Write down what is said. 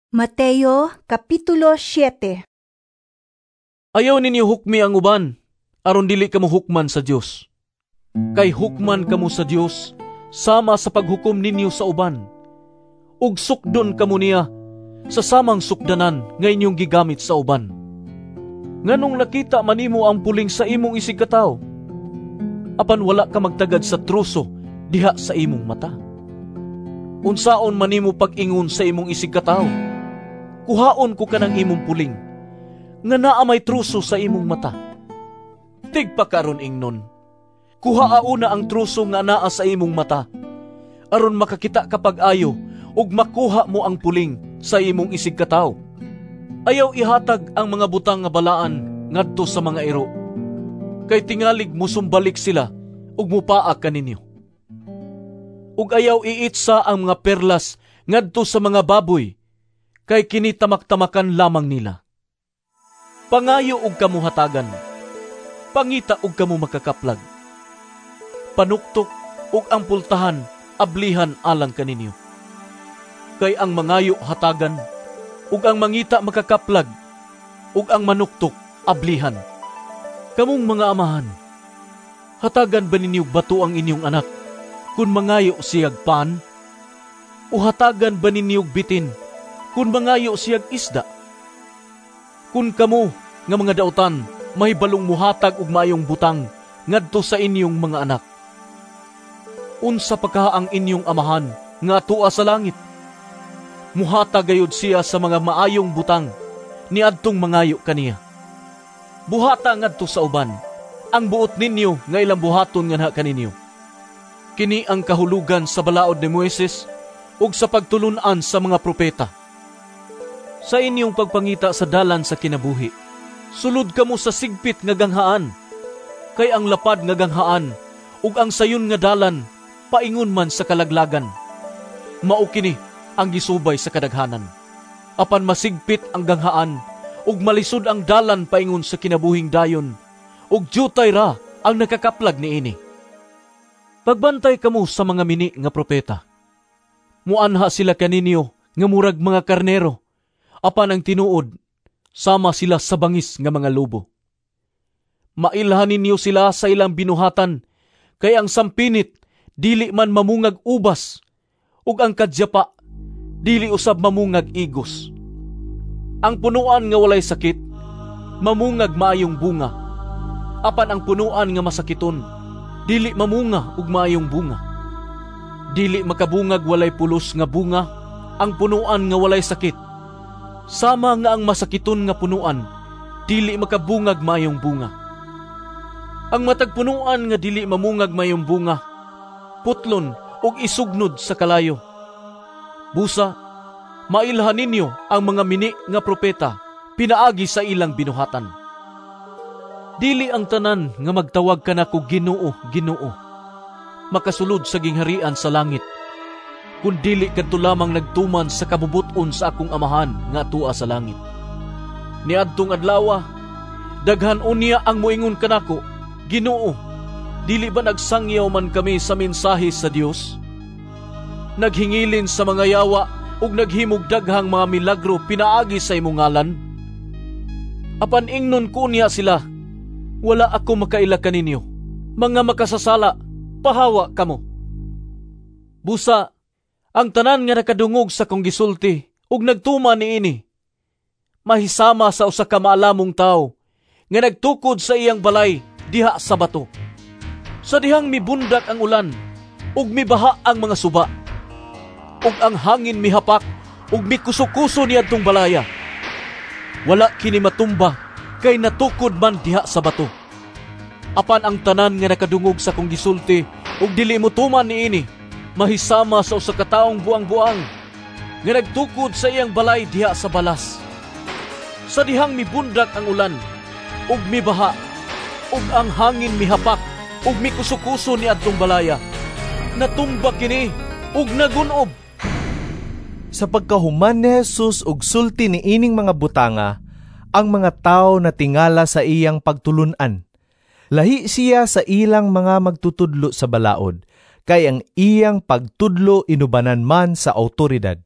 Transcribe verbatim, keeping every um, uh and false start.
Mateo Kapitulo siyete. Ayaw ninyo hukmi ang uban, aron dili kamo hukman sa Dios. Kay hukman kamo sa Dios sama sa paghukom ninyo sa uban. Ug sukdon kamo niya sa samang sukdanan nga inyong gigamit sa uban. Nganong nakita man nimo ang puling sa imong isigkatawo, apan wala ka magtagad sa truso diha sa imong mata? Unsaon man nimo pag-ingon sa imong isigkatawo, "Kuhaon ko kanang imong puling," nga naa may truso sa imong mata? Tigpakaron ingnon, kuhaa una ang truso nga naa sa imong mata, aron makakita ka pag-ayo ug makuha mo ang puling sa imong isigkatawo. Ayaw ihatag ang mga butang nga balaan ngadto sa mga iro, kay tingalig musumbalik sila ug mupaa kaninyo. Ug ayaw iitsa ang mga perlas ngadto sa mga baboy, kay kini tamak-tamakan lamang nila. Pangayo og kamo hatagan, pangita og kamo makakaplag. Panuktok ug ang pultahan ablihan alang kaninyo. Kay ang mangayo hatagan, ug ang mangita makakaplag, ug ang manuktok ablihan. Kamong mga amahan, hatagan ba ninyo bato ang inyong anak kung mangayo siyag pan? O hatagan ba ninyo bitin kung mangayo siyag isda? Kung kamo nga mga dautan mahibalong muhatag og maayong butang ngadto sa inyong mga anak, unsa pa kaha ang inyong Amahan nga atua sa langit? Muhatag gayud siya sa mga maayong butang niadtong mangayo kaniya. Buhata ngadto sa uban ang buot ninyo nga ilang buhaton nganha kaninyo. Kini ang kahulugan sa balaod ni Moises ug sa pagtulun-an sa mga propeta. Sa inyong pagpangita sa dalan sa kinabuhi, sulod kamo sa sigpit nga ganghaan, kay ang lapad nga ganghaan ug ang sayon nga dalan paingon man sa kalaglagan. Mao kini ang gisubay sa kadaghanan. Apan masigpit ang ganghaan ug malisod ang dalan paingon sa kinabuhing dayon, ug dyutay ra ang nakakaplag niini. Pagbantay kamo sa mga mini nga propeta. Muanha sila kaninyo nga murag mga karnero, apan ang tinuod, sama sila sa bangis nga mga lobo. Mailhan ninyo sila sa ilang binuhatan, kay ang sampinit dili man mamungag ubas, ug ang kadyapa dili usab mamungag igos. Ang punuan nga walay sakit mamungag maayong bunga, apan ang punuan nga masakiton dili mamunga og maayong bunga. Dili makabungag walay pulos nga bunga ang punuan nga walay sakit, sama nga ang masakiton nga punuan dili makabungag maayong bunga. Ang matag punuan nga dili mamungag maayong bunga, putlon ug isugnod sa kalayo. Busa, mailhan ninyo ang mga mini nga propeta pinaagi sa ilang binuhatan. Dili ang tanan nga magtawag kanako "Ginoo, Ginoo," makasulod sa gingharian sa langit, kun dili kadto lamang nagtuman sa kabubut-on sa akong Amahan nga atua sa langit. Niadtong adlawa, daghan unya ang moingon kanako, "Ginoo, dili ba nagsangyaw man kami sa mensahe sa Dios? Naghingilin sa mga yawa ug naghimog daghang mga milagro pinaagi sa imong ngalan?" Apan ingnon ko niya sila, "Wala ako makaila kaninyo. Mga makasasala, pahawa kamo." Busa, ang tanan nga nakadungog sa kong gisulti ug nagtuman niini, mahisama sa usa ka maalamong tawo nga nagtukod sa iyang balay diha sa bato. Sa dihang mibundak ang ulan ug mibaha ang mga suba, ug ang hangin mihapak ug mikuso-kuso niadtong balaya, wala kini matumba kay natukod man diha sa bato. Apan ang tanan nga nakadungog sa kong gisulti ug dili motuman niini, mahisama sa usa ka taong buang-buang nga nagtukod sa iyang balay diha sa balas. Sa dihang mibundak ang ulan ug mibaha ug ang hangin mihapak ug mikuso-kuso niadtong balaya, natumba kini ug nagun-ob. Sa pagkahuman ni Jesus og sulti niining mga butanga, ang mga tawo natingala sa iyang pagtulun-an. Lahi siya sa ilang mga magtutudlo sa balaod, kay ang iyang pagtudlo inubanan man sa awtoridad.